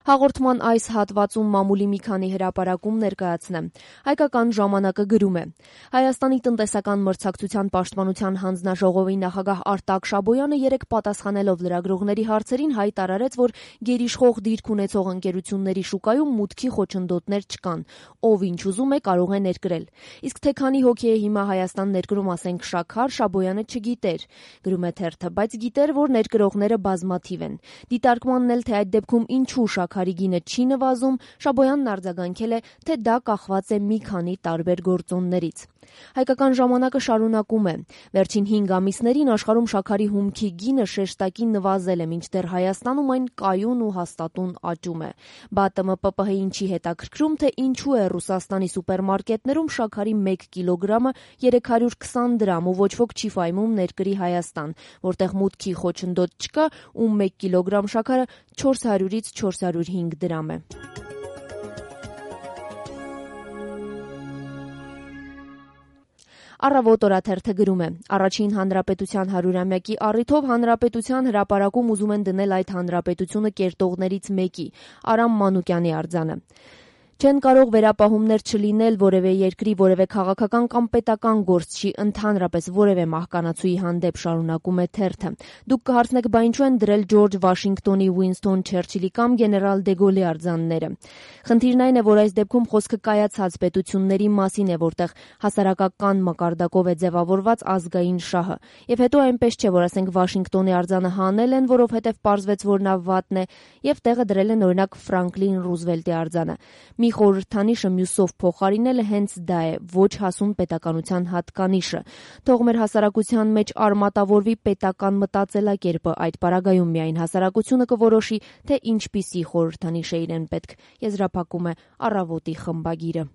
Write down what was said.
Հաղորդման այս հատվածում մամուլի մի քանի հրապարակում ներկայացնեմ։ Հայկական ժամանակը գրում է. Հայաստանի տնտեսական մրցակցության պաշտպանության հանձնաժողովի նախագահ Արտակ Շաբոյանը երեկ պատասխանելով լրագրողների հարցերին հայտարարեց, որ գերիշխող դիրք ունեցող ընկերությունների շուկայում մուտքի խոչընդոտներ չկան։ Ով ինչ ուզում է, կարող է ներկրել։ Իսկ թե քանի հոգի է հիմա Հայաստան ներկրում, ասենք շաքար, Շաբոյանը չգիտեր։ Գրում է թերթը, բայց գիտեր, որ ներկրողները բազմաթիվ են։ Դիտարկմանն էլ, թե այդ դեպքում ինչու շաքարի գինը չի նվազում, Շաբոյանն արձագանքել է, թե դա կախված է մի քանի տարբեր գործոններից։ Հայկական ժամանակը շարունակում է. Վերջին 5 ամիսներին աշխարհում շաքարի հումքի գինը շեշտակի նվազել է, մինչդեռ Հայաստանում այն կայուն ու հաստատուն աճում է։ ԲԱՏՄ-ՊՊՀ-ին չի հետաքրքրում, թե ինչու է Ռուսաստանի սուպերմարկետներում շաքարի 1 կիլոգրամը 320 դրամ ու ոչ ոք չի ֆայմում ներկրի Հայաստան, որտեղ մուտքի խոչընդոտ չկա ու 1 կիլոգրամ շաքարը 400-ից 405 դրամ է։ Առավոտ օրաթերթը գրում է. Առաջին հանրապետության 100-ամյակի առիթով հանրապետության հրապարակում ուզում են դնել այդ հանրապետությունը կերտողներից մեկի՝ Արամ Մանուկյանի արձանը։ Չեն կարող վերապահումներ չլինել որևէ երկրի, որևէ քաղաքական կամ պետական գործչի, ընդհանրապես որևէ մահկանացուի հանդեպ, շարունակում է թերթը։ Դուք կհարցնեք, բա ինչու են դրել Ջորջ Վաշինգտոնի, Ուինսթոն Չերչիլի կամ գեներալ Դե Գոլի արձանները։ Խնդիրն այն է, որ այս դեպքում խոսքը կայացած պետությունների մասին է, որտեղ հասարակական մակարդակով է ձևավորված ազգային շահը։ Եվ հետո այնպես չէ, որ ասենք Վաշինգտոնի արձանը հանել են, որովհետև պարզվեց, որ նա վատն է, եւ տեղը դրել են օրինակ Ֆրանկլին Ռուզվելտի արձանը։ Մի խորհրդանիշը մյուսով փոխարինելը հենց դա է, ոչ հասուն պետականության հատկանիշը։ Թող մեր հասարակության մեջ արմատավորվի պետական մտածելակերպը, այդ պարագայում միայն հասարակությունը կորոշի, թե ինչպիսի խորհրդանիշ է իրեն պետք։ Եզրափակում է Առավոտի խմբագիրը։